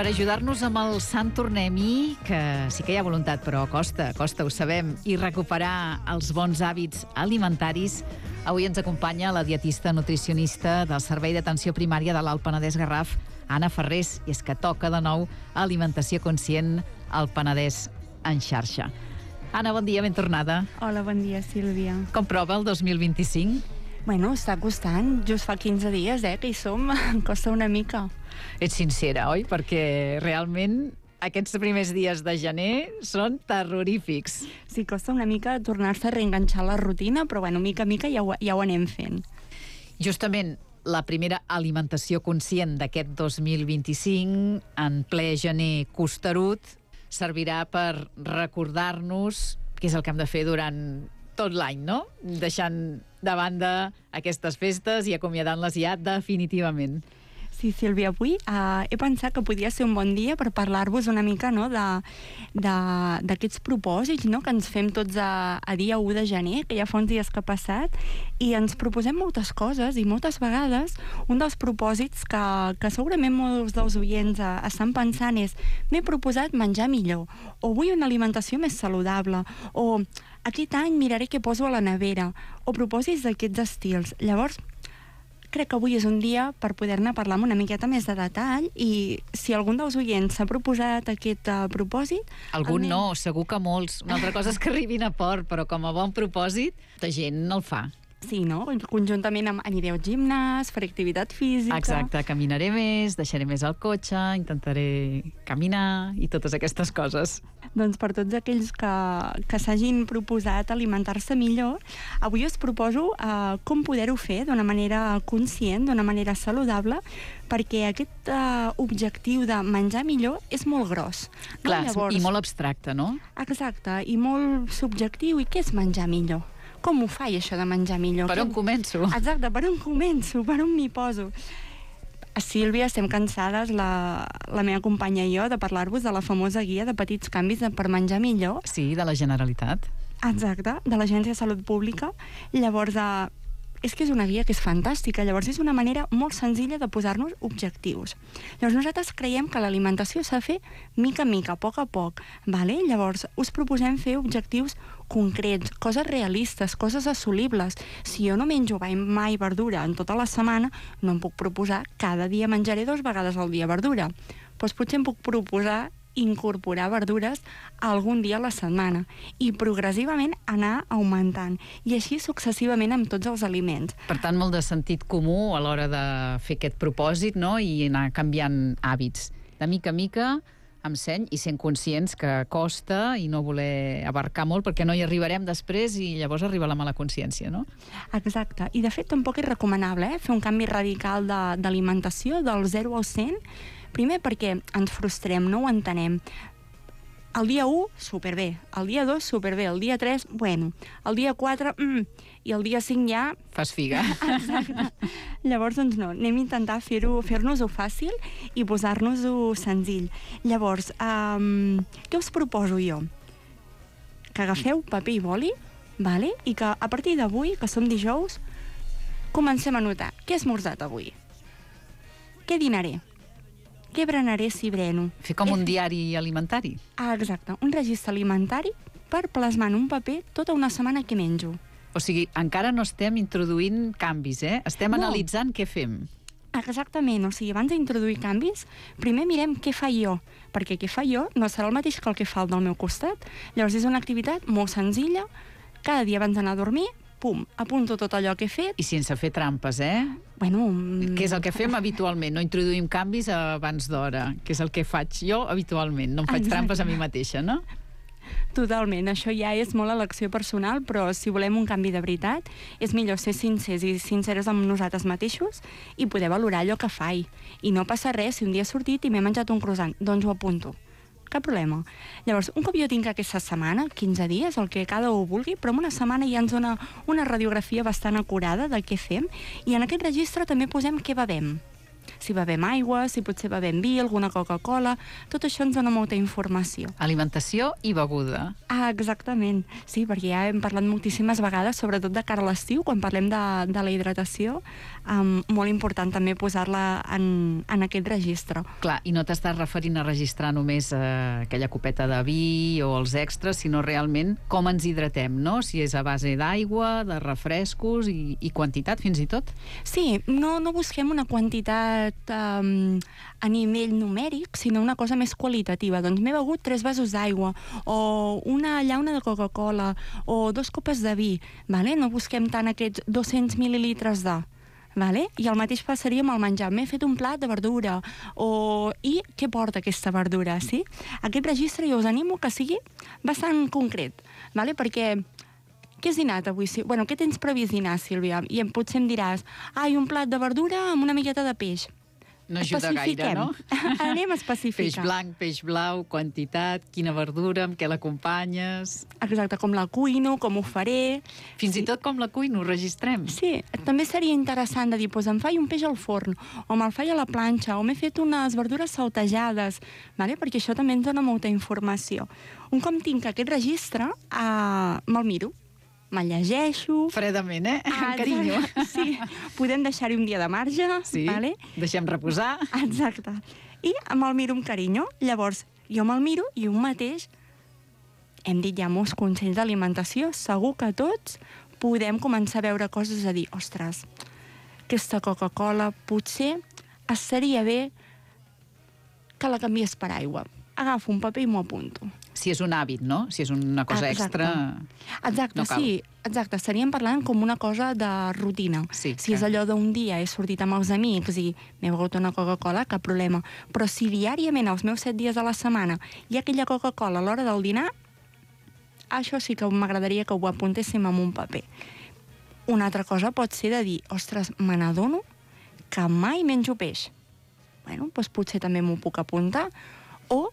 per ajudar-nos amb el Sant Tornem-hi, que sí que hi ha voluntat, però costa, ho sabem, i recuperar els bons hàbits alimentaris, avui ens acompanya la dietista nutricionista del Servei d'Atenció Primària de l'Alt Penedès Garraf, Anna Ferrés, i és que toca de nou alimentació conscient al Penedès en xarxa. Anna, bon dia, ben tornada. Hola, bon dia, Sílvia. Com prova el 2025? Bueno, està costant. Just fa 15 dies, que hi som. Costa una mica. Ets sincera, oi? Perquè realment aquests primers dies de gener són terrorífics. Sí, costa una mica tornar-se a reenganxar la rutina, però bueno, mica a mica ja ho anem fent. Justament, la primera alimentació conscient d'aquest 2025, en ple gener costerut, servirà per recordar-nos què és el que hem de fer durant tot l'any, no? Deixant de banda aquestes festes i acomiadant-les ja definitivament. Sí, Sílvia, avui he pensat que podia ser un bon dia per parlar-vos una mica, no, d'aquests propòsits, no, que ens fem tots a dia 1 de gener, que ja fa uns dies que ha passat, i ens proposem moltes coses, i moltes vegades un dels propòsits que segurament molts dels oients estan pensant és: m'he proposat menjar millor, o vull una alimentació més saludable, o aquest any miraré què poso a la nevera, o propòsits d'aquests estils. Llavors, crec que avui és un dia per poder-ne parlar amb una miqueta més de detall, i si algun dels oients s'ha proposat aquest propòsit... Algun no, segur que molts. Una altra cosa és que arribin a port, però com a bon propòsit, la gent el fa. Sí, no? Conjuntament aniré al gimnàs, faré activitat física... Exacte, caminaré més, deixaré més el cotxe, intentaré caminar i totes aquestes coses. Doncs per tots aquells que s'hagin proposat alimentar-se millor, avui us proposo com poder-ho fer d'una manera conscient, d'una manera saludable, perquè aquest objectiu de menjar millor és molt gros. No? Clar, Llavors, i molt abstracte, no? Exacte, i molt subjectiu. I què és menjar millor? Com ho faig, això de menjar millor? Per on començo? Exacte, per on començo? Per on m'hi poso? Sílvia, estem cansades, la meva companya i jo, de parlar-vos de la famosa guia de petits canvis per menjar millor. Sí, de la Generalitat. Exacte, de l'Agència de Salut Pública. Llavors, és que és una guia que és fantàstica. Llavors, és una manera molt senzilla de posar-nos objectius. Llavors, nosaltres creiem que l'alimentació s'ha de fer mica en mica, a poc, vale? Llavors, us proposem fer objectius concrets, coses realistes, coses assolibles. Si jo no menjo mai verdura en tota la setmana, no em puc proposar cada dia menjaré 2 vegades al dia verdura. Doncs potser em puc proposar incorporar verdures algun dia a la setmana i progressivament anar augmentant, i així successivament amb tots els aliments. Per tant, molt de sentit comú a l'hora de fer aquest propòsit, no? I anar canviant hàbits. De mica a mica, amb seny, i sent conscients que costa, i no voler abarcar molt, perquè no hi arribarem després i llavors arriba la mala consciència, no? Exacte. I de fet tampoc és recomanable fer un canvi radical d'alimentació del 0 al 100. Primer perquè ens frustrem, no ho entenem. El dia 1, superbé. El dia 2, superbé. El dia 3, bueno. El dia 4, i el dia 5 ja... Fas figa. Exacte. Llavors, doncs no, anem a intentar fer-nos-ho fàcil i posar-nos-ho senzill. Llavors, què us proposo jo? Que agafeu paper i boli, vale? I que a partir d'avui, que som dijous, comencem a notar què he esmorzat avui, què dinaré, què berenaré si breno. Fer com un diari alimentari. Exacte, un registre alimentari per plasmar en un paper tota una setmana que menjo. O sigui, encara no estem introduint canvis, Estem analitzant què fem. Exactament, o sigui, abans d'introduir canvis, primer mirem què fa jo, perquè què fa jo no serà el mateix que el que fa el del meu costat. Llavors és una activitat molt senzilla, cada dia abans d'anar a dormir, pum, apunto tot allò que he fet. I sense fer trampes, Bueno... Que és el que fem habitualment, no introduïm canvis abans d'hora, que és el que faig jo habitualment, no em faig trampes a mi mateixa, no? Totalment, això ja és molt elecció personal, però si volem un canvi de veritat, és millor ser sincers i sinceres amb nosaltres mateixos i poder valorar allò que faig. I no passa res si un dia he sortit i m'he menjat un croissant, doncs ho apunto. Cap problema. Llavors, un cop jo tinc aquesta setmana, 15 dies, el que cada un vulgui, però en una setmana ja ens dona una radiografia bastant acurada de què fem, i en aquest registre també posem què bevem. si bevem aigua, si potser bevem vi, alguna Coca-Cola, tot això ens dona molta informació. Alimentació i beguda. Exactament. Sí, perquè ja hem parlat moltíssimes vegades, sobretot de cara a l'estiu, quan parlem de la hidratació, molt important també posar-la en aquest registre. Clar, i no t'estàs referint a registrar només aquella copeta de vi o els extras, sinó realment com ens hidratem, no? Si és a base d'aigua, de refrescos i quantitat, fins i tot? Sí, no busquem una quantitat a nivell numèric, sinó una cosa més qualitativa. Doncs m'he begut 3 vasos d'aigua, o una llauna de Coca-Cola, o 2 copes de vi, vale? No busquem tant aquests 200 mil·lilitres de... Vale? I el mateix passaria amb el menjar. M'he fet un plat de verdura, i què porta aquesta verdura, sí? Aquest registre jo us animo que sigui bastant concret, vale? Perquè què has dinat avui? Bueno, què tens previst dinar, Sílvia? I potser em diràs, un plat de verdura amb una miqueta de peix. No ajuda gaire, no? Anem a especificar. Peix blanc, peix blau, quantitat, quina verdura, amb què l'acompanyes... Exacte, com la cuino, com ho faré... Fins i tot com la cuino, ho registrem. Sí, també seria interessant de dir, doncs em faig un peix al forn, o me'l faig a la planxa, o m'he fet unes verdures saltejades, vale? Perquè això també ens dona molta informació. Un cop tinc aquest registre, me'l miro, me'l llegeixo... Fredament, amb carinyo. Sí, podem deixar-hi un dia de marge, sí, vale? Deixem reposar. Exacte. I me'l miro amb carinyo. Llavors, jo me'l miro i un mateix, hem dit ja molts consells d'alimentació, segur que tots podem començar a veure coses a dir, ostres, aquesta Coca-Cola potser estaria bé que la canvies per aigua. Agafo un paper i m'ho apunto. Si és un hàbit, no? Si és una cosa extra... Exacte, no cal. Sí, exacte. Estaríem parlant com una cosa de rutina. Sí, si és allò d'un dia he sortit amb els amics i m'he begut una Coca-Cola, cap problema. Però si diàriament, els meus 7 dies a la setmana, hi ha aquella Coca-Cola a l'hora del dinar, això sí que m'agradaria que ho apuntéssim en un paper. Una altra cosa pot ser de dir, ostres, me n'adono que mai menjo peix. Bueno, doncs potser també m'ho puc apuntar. O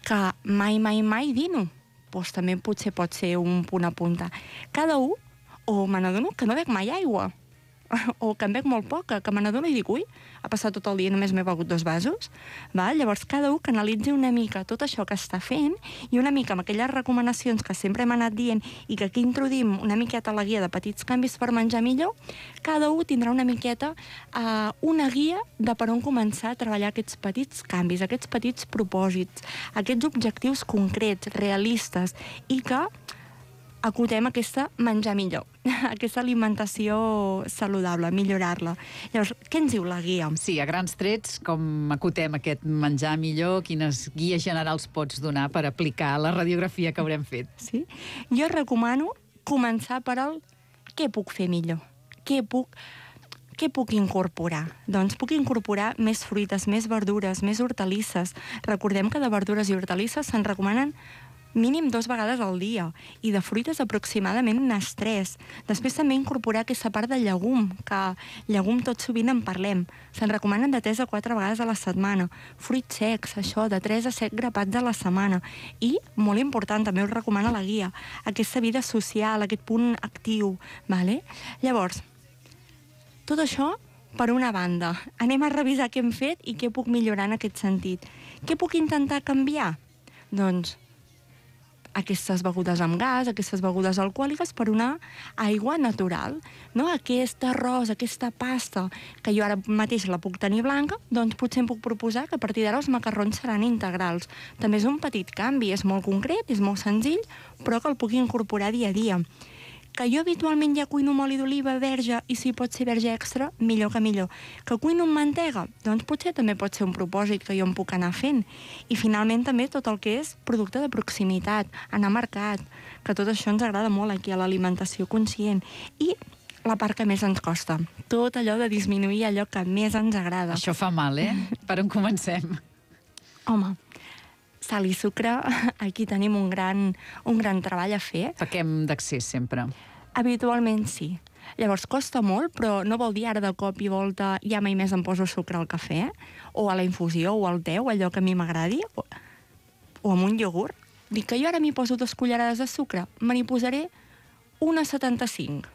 que mai dino. Doncs també potser pot ser un punt a apuntar. Cada un, o me n'adono que no bec mai aigua, o que en bec molt poca, que me n'adono i dic, ui, ha passat tot el dia i només m'he begut 2 vasos. Llavors, cada un que analitzi una mica tot això que està fent i una mica amb aquelles recomanacions que sempre hem anat dient i que aquí introduïm una miqueta a la guia de petits canvis per menjar millor, cada un tindrà una miqueta una guia de per on començar a treballar aquests petits canvis, aquests petits propòsits, aquests objectius concrets, realistes, i que acotem aquesta menjar millor, aquesta alimentació saludable, millorar-la. Llavors, què ens diu la guia? Sí, a grans trets, com acotem aquest menjar millor, quines guies generals pots donar per aplicar la radiografia que haurem fet? Sí? Jo recomano començar per el què puc fer millor, què puc incorporar? Doncs puc incorporar més fruites, més verdures, més hortalisses. Recordem que de verdures i hortalisses se'n recomanen mínim 2 vegades al dia, i de fruites aproximadament unes 3. Després també incorporar aquesta part de llegum, que llegum tot sovint en parlem. Se'n recomanen de 3 a 4 vegades a la setmana. Fruits secs, això, de 3 a 7 grapats a la setmana. I, molt important, també us recomana la guia, aquesta vida social, aquest punt actiu, vale? Llavors, tot això per una banda. Anem a revisar què hem fet i què puc millorar en aquest sentit. Què puc intentar canviar? Doncs aquestes begudes amb gas, aquestes begudes alcohòliques, per una aigua natural. No? Aquest arròs, aquesta pasta, que jo ara mateix la puc tenir blanca, doncs potser em puc proposar que a partir d'ara els macarrons seran integrals. També és un petit canvi, és molt concret, és molt senzill, però que el puc incorporar dia a dia. Que jo habitualment ja cuino amb oli d'oliva verge, i si pot ser verge extra, millor que millor. Que cuino amb mantega? Doncs potser també pot ser un propòsit que jo em puc anar fent. I finalment també tot el que és producte de proximitat, anar a mercat, que tot això ens agrada molt aquí a l'alimentació conscient. I la part que més ens costa, tot allò de disminuir allò que més ens agrada. Això fa mal, Per on comencem? Home, sal i sucre, aquí tenim un gran treball a fer. Pequem d'accés sempre. Habitualment sí. Llavors costa molt, però no vol dir ara de cop i volta ja mai més em poso sucre al cafè, o a la infusió, o al te, o allò que a mi m'agradi, o amb un iogurt. Dic que jo ara m'hi poso 2 cullerades de sucre, me n'hi posaré 1,75.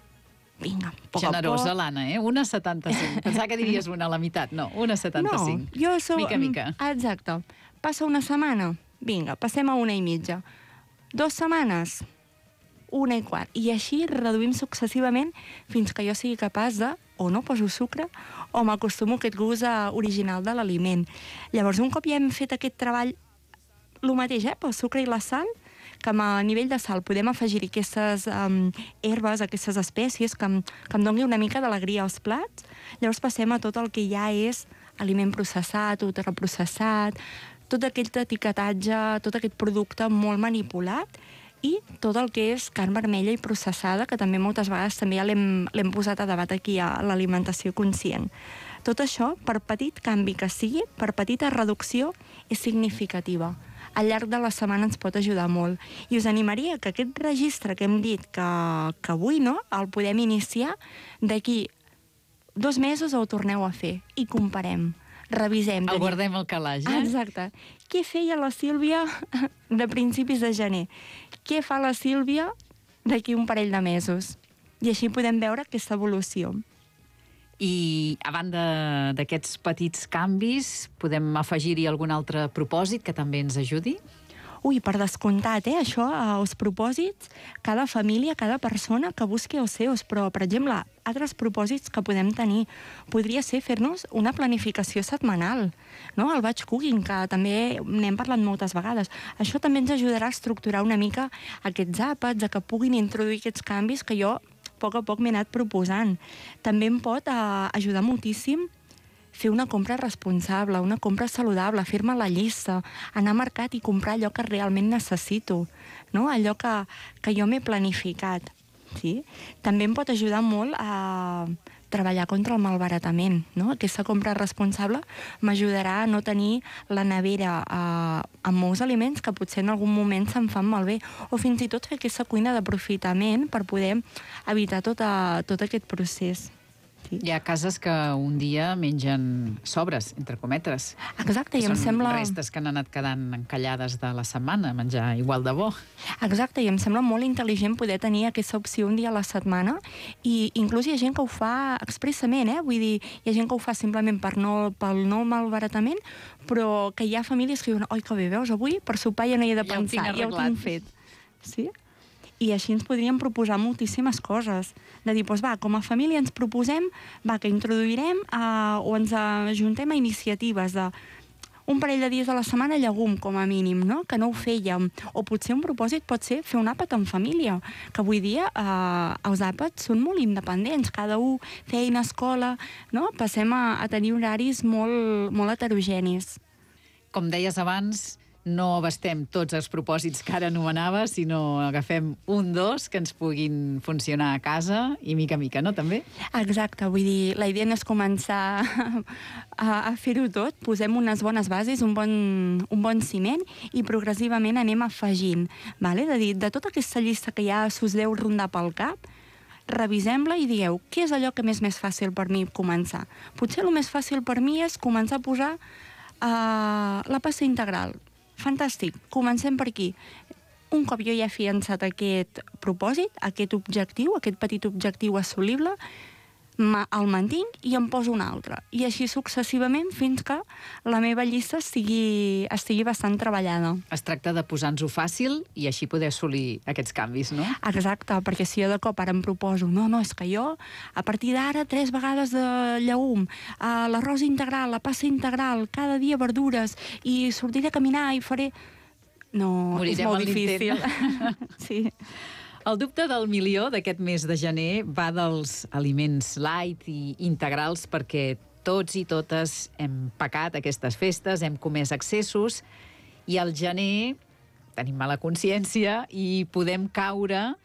vinga, a poc Generosa, l'Anna, 1,75. Pensava que diries una a la meitat. No, 1,75. No, jo soc... Mica, mica. Exacte. Passa una setmana, vinga, passem a 1,5. 2 setmanes, 1,25. I així reduïm successivament fins que jo sigui capaç de o no poso sucre o m'acostumo a aquest gust original de l'aliment. Llavors, un cop ja hem fet aquest treball, el mateix, pel sucre i la sal, que a nivell de sal podem afegir aquestes herbes, aquestes espècies que em doni una mica d'alegria als plats. Llavors passem a tot el que ja és aliment processat, ultraprocessat, tot aquest etiquetatge, tot aquest producte molt manipulat i tot el que és carn vermella i processada, que també moltes vegades també ja l'hem posat a debat aquí a l'alimentació conscient. Tot això, per petit canvi que sigui, per petita reducció, és significativa. Al llarg de la setmana ens pot ajudar molt. I us animaria que aquest registre que hem dit que avui el podem iniciar, d'aquí 2 mesos ho torneu a fer i comparem, revisem. El guardem al calaix, Exacte. Què feia la Sílvia de principis de gener? Què fa la Sílvia d'aquí un parell de mesos? I així podem veure aquesta evolució. I a banda d'aquests petits canvis, podem afegir-hi algun altre propòsit que també ens ajudi? Ui, per descomptat, això, els propòsits, cada família, cada persona que busqui els seus, però, per exemple, altres propòsits que podem tenir podria ser fer-nos una planificació setmanal, no? El batch cooking, que també n'hem parlat moltes vegades. Això també ens ajudarà a estructurar una mica aquests àpats, a que puguin introduir aquests canvis que jo a poc m'he anat proposant. També em pot ajudar moltíssim fer una compra responsable, una compra saludable, fer-me la llista, anar al mercat i comprar allò que realment necessito, no? Allò que jo m'he planificat. Sí? També em pot ajudar molt a treballar contra el malbaratament, no? Aquesta compra responsable m'ajudarà a no tenir la nevera amb molts aliments que potser en algun moment se'n fan malbé, o fins i tot fer aquesta cuina d'aprofitament per poder evitar tot aquest procés. Sí. Hi ha cases que un dia mengen sobres, entre cometes. Exacte, i em sembla... Són restes que han anat quedant encallades de la setmana, menjar igual de bo. Exacte, i em sembla molt intel·ligent poder tenir aquesta opció un dia a la setmana, i inclús hi ha gent que ho fa expressament, vull dir, hi ha gent que ho fa simplement pel no malbaratament, però que hi ha famílies que diuen, oi, que bé, veus, avui per sopar ja no hi he de pensar, ja ho tinc fet. Sí? I així ens podríem proposar moltíssimes coses. De dir, doncs va, com a família ens proposem que introduirem o ens ajuntem a iniciatives de un parell de dies a la setmana llegum, com a mínim, no? Que no ho fèiem. O potser un propòsit pot ser fer un àpat en família, que avui dia els àpats són molt independents, cada un, feina, escola, no? Passem a tenir horaris molt, molt heterogenis. Com deies abans, no abastem tots els propòsits que ara anomenava, sinó agafem 1-2 que ens puguin funcionar a casa i mica a mica, no, també? Exacte, vull dir, la idea no és començar a fer-ho tot, posem unes bones bases, un bon ciment i progressivament anem afegint, vale? De dir, de tota aquesta llista que ja us deu rondar pel cap, revisem-la i digueu, què és allò que m'és més fàcil per mi començar? Potser el més fàcil per mi és començar a posar la pasta integral. Fantàstic, comencem per aquí. Un cop jo ja he fiançat aquest propòsit, aquest objectiu, aquest petit objectiu assolible, el mantinc i em poso un altre. I així successivament fins que la meva llista estigui bastant treballada. Es tracta de posar-nos-ho fàcil i així poder assolir aquests canvis, no? Exacte, perquè si jo de cop ara em proposo, no, és que jo a partir d'ara 3 vegades de llegum, l'arròs integral, la pasta integral, cada dia verdures i sortiré a caminar i faré... No, morirem, és molt difícil. Sí. El dubte del milió d'aquest mes de gener va dels aliments light i integrals, perquè tots i totes hem pecat aquestes festes, hem comès excessos, i al gener tenim mala consciència i podem caure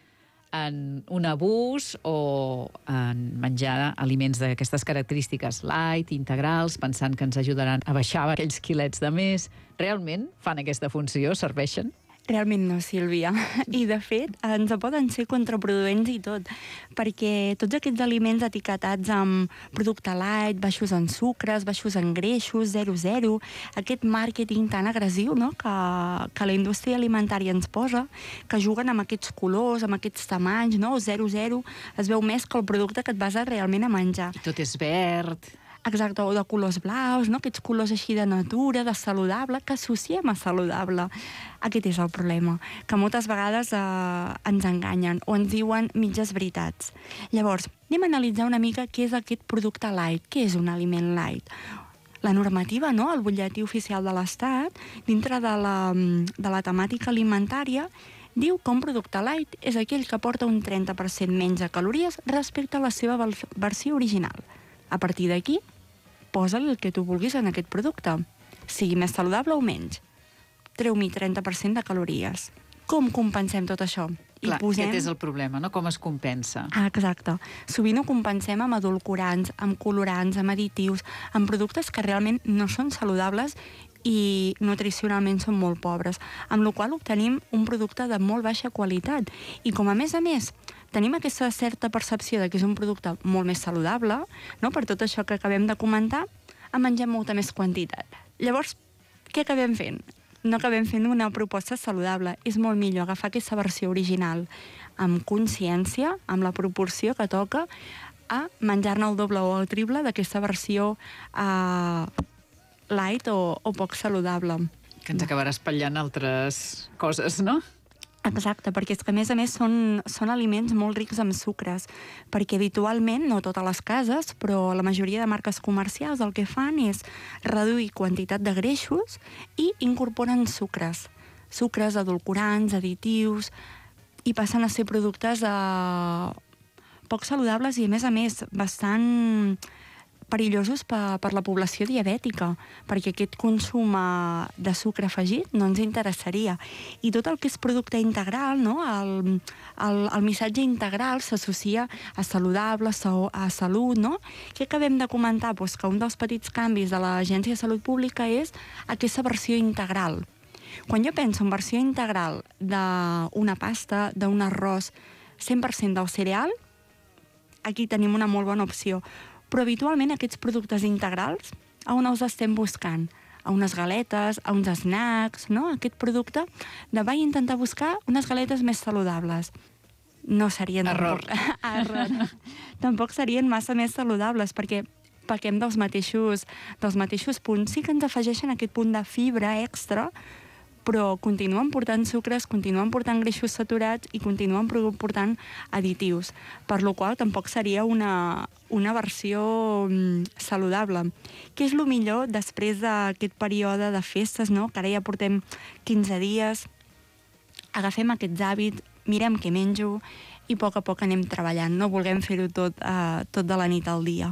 en un abús o en menjar aliments d'aquestes característiques light, integrals, pensant que ens ajudaran a baixar aquells quilets de més. Realment fan aquesta funció? Serveixen? Realment no, Sílvia. I, de fet, ens poden ser contraproduents i tot, perquè tots aquests aliments etiquetats amb producte light, baixos en sucres, baixos en greixos, 0,0, aquest màrqueting tan agressiu, no?, que la indústria alimentària ens posa, que juguen amb aquests colors, amb aquests tamanys, no?, 0,0, es veu més que el producte que et vas realment a menjar. I tot és verd. Exacte, o de colors blaus, no? Aquests colors així de natura, de saludable, que associem a saludable. Aquest és el problema, que moltes vegades ens enganyen o ens diuen mitges veritats. Llavors, anem a analitzar una mica què és aquest producte light, què és un aliment light. La normativa, no?, el butlletí oficial de l'Estat, dintre de la temàtica alimentària, diu que un producte light és aquell que porta un 30% menys de calories respecte a la seva versió original. A partir d'aquí, posa-li el que tu vulguis en aquest producte, sigui més saludable o menys. Treu-m'hi 30% de calories. Com compensem tot això? Clar, aquest és el problema, no? Com es compensa. Exacte. Sovint ho compensem amb edulcorants, amb colorants, amb additius, amb productes que realment no són saludables i nutricionalment són molt pobres, amb la qual cosa obtenim un producte de molt baixa qualitat. I com a més, tenim aquesta certa percepció de que és un producte molt més saludable, no?, per tot això que acabem de comentar, en mengem molta més quantitat. Llavors, què acabem fent? No acabem fent una proposta saludable. És molt millor agafar aquesta versió original amb consciència, amb la proporció que toca, a menjar-ne el doble o el triple d'aquesta versió light o poc saludable. Que ens acabarà espatllant altres coses, no? Exacte, perquè és que a més són aliments molt rics en sucres, perquè habitualment, no totes les cases, però la majoria de marques comercials el que fan és reduir quantitat de greixos i incorporen sucres, edulcorants, additius, i passen a ser productes poc saludables i, a més, bastant perillosos per la població diabètica, perquè aquest consum de sucre afegit no ens interessaria. I tot el que és producte integral, no?, el missatge integral s'associa a saludable, a salut, no? Què acabem de comentar? Pues que un dels petits canvis de l'Agència de Salut Pública és aquesta versió integral. Quan jo penso en versió integral d'una pasta, d'un arròs 100% del cereal, aquí tenim una molt bona opció. Però habitualment aquests productes integrals, a on els estem buscant? A unes galetes, a uns snacks, no? Aquest producte vaig intentar buscar unes galetes més saludables. No serien... Error. Error. Tampoc serien massa més saludables, perquè pequem dels mateixos punts. Sí que ens afegeixen aquest punt de fibra extra, però continuen portant sucres, continuen portant greixos saturats i continuen portant additius, per la qual tampoc seria una versió saludable. Què és el millor després d'aquest període de festes, no?, que ara ja portem 15 dies, agafem aquests hàbits, mirem què menjo i a poc anem treballant. No vulguem fer-ho tot de la nit al dia.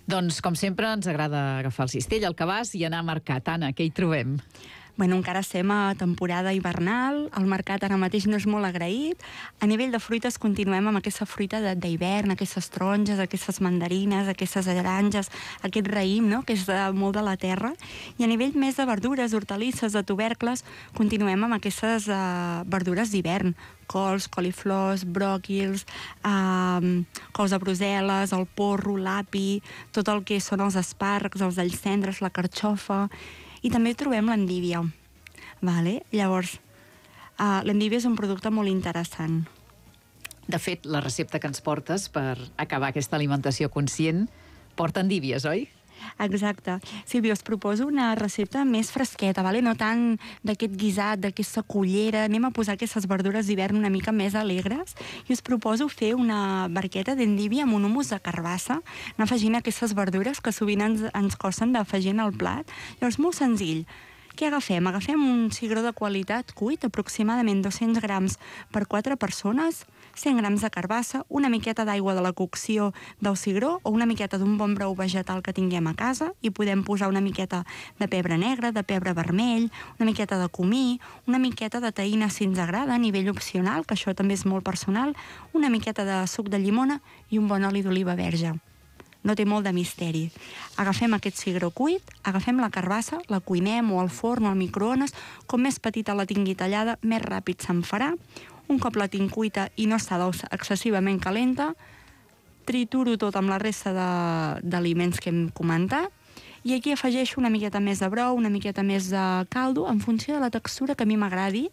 Doncs, com sempre, ens agrada agafar el cistell, el cabàs i anar a mercat. Anna, què hi trobem? Bueno, encara estem a temporada hivernal, el mercat ara mateix no és molt agraït. A nivell de fruites continuem amb aquesta fruita d'hivern, aquestes taronges, aquestes mandarines, aquestes taronges, aquest raïm, no?, que és molt de la terra. I a nivell més de verdures, hortalisses, de tubercles, continuem amb aquestes verdures d'hivern, cols, coliflors, bròquils, cols de Brussel·les, el porro, l'api, tot el que són els espàrrecs, els alls tendres, la carxofa. I també trobem l'endívia. Llavors, l'endívia és un producte molt interessant. De fet, la recepta que ens portes per acabar aquesta alimentació conscient porta endívies, oi? Exacte. Sílvia, us proposo una recepta més fresqueta, no tant d'aquest guisat, d'aquesta cullera. Anem a posar aquestes verdures d'hivern una mica més alegres i us proposo fer una barqueta d'endívia amb un humus de carbassa, anar afegint aquestes verdures que sovint ens costen d'afegir en el plat. Llavors, molt senzill. Què agafem? Agafem un cigró de qualitat cuit, aproximadament 200 grams per 4 persones, 100 grams de carbassa, una miqueta d'aigua de la cocció del cigró o una miqueta d'un bon brou vegetal que tinguem a casa i podem posar una miqueta de pebre negre, de pebre vermell, una miqueta de comí, una miqueta de taïna si ens agrada, a nivell opcional, que això també és molt personal, una miqueta de suc de llimona i un bon oli d'oliva verge. no té molt de misteri. Agafem aquest cigró cuit, agafem la carbassa, la cuinem o al forn o al microones, com més petita la tingui tallada, més ràpid se'n farà. Un cop la tinc cuita i no està excessivament calenta, trituro tot amb la resta d'aliments que hem comentat, i aquí afegeixo una miqueta més de brou, una miqueta més de caldo, en funció de la textura que a mi m'agradi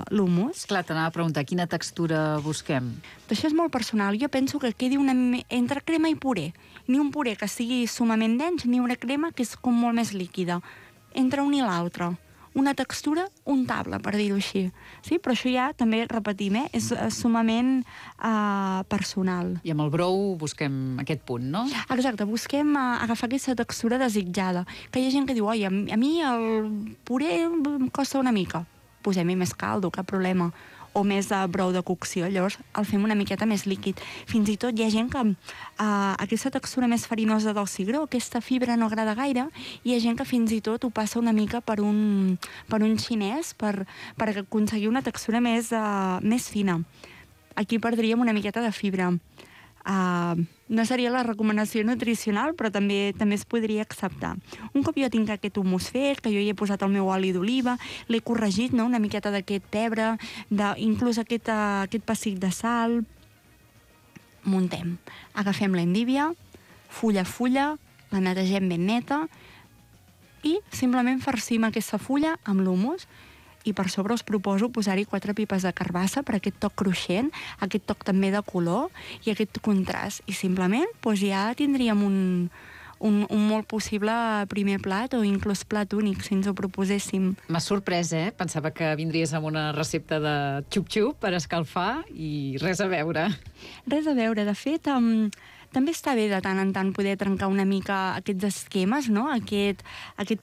l'humus. Clar, t'anava a preguntar, quina textura busquem? Això és molt personal. Jo penso que quedi entre crema i puré. Ni un puré que sigui sumament dens, ni una crema que és com molt més líquida. Entre un i l'altre. Una textura untable, per dir-ho així. Sí? Però això ja, també repetim, és sumament personal. I amb el brou busquem aquest punt, no? Exacte, busquem agafar aquesta textura desitjada. Que hi ha gent que diu, oi, a mi el puré em costa una mica. Posem-hi més caldo, cap problema. O més brou de cocció, llavors el fem una miqueta més líquid. Fins i tot hi ha gent que aquesta textura més farinosa del cigró, aquesta fibra no agrada gaire, i hi ha gent que fins i tot ho passa una mica per un xinès per aconseguir una textura més fina. Aquí perdríem una miqueta de fibra. No seria la recomanació nutricional, però també es podria acceptar. Un cop jo tinc aquest hummus fet, que jo hi he posat el meu oli d'oliva, l'he corregit, no? Una miqueta d'aquest pebre, inclús aquest pessic de sal, muntem. Agafem l'endívia, fulla a fulla, la netegem ben neta i simplement farcim aquesta fulla amb l'hummus. I per sobre us proposo posar-hi 4 pipes de carbassa per aquest toc cruixent, aquest toc també de color i aquest contrast. I simplement ja tindríem un molt possible primer plat o inclús plat únic, si ens ho proposéssim. M'ha sorprès, Pensava que vindries amb una recepta de xup-xup per escalfar i res a veure. Res a veure. De fet, també està bé de tant en tant poder trencar una mica aquests esquemes, no? Aquest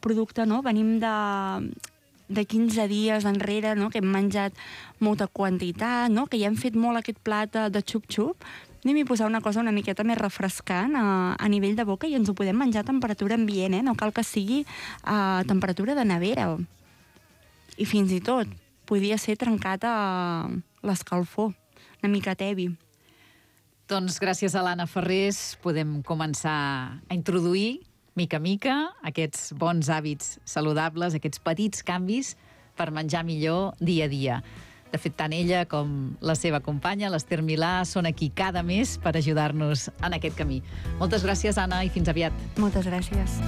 producte, no? Venim de 15 dies enrere, no? Que hem menjat molta quantitat, no? Que ja hem fet molt aquest plat de xup-xup, anem a posar una cosa una miqueta més refrescant a nivell de boca i ens ho podem menjar a temperatura ambient, no cal que sigui a temperatura de nevera. I fins i tot podria ser trencat a l'escalfor, una mica tebi. Doncs gràcies a l'Anna Ferrés podem començar a introduir mica a mica aquests bons hàbits saludables, aquests petits canvis per menjar millor dia a dia. De fet, tant ella com la seva companya, l'Ester Milà, són aquí cada mes per ajudar-nos en aquest camí. Moltes gràcies, Anna, i fins aviat. Moltes gràcies.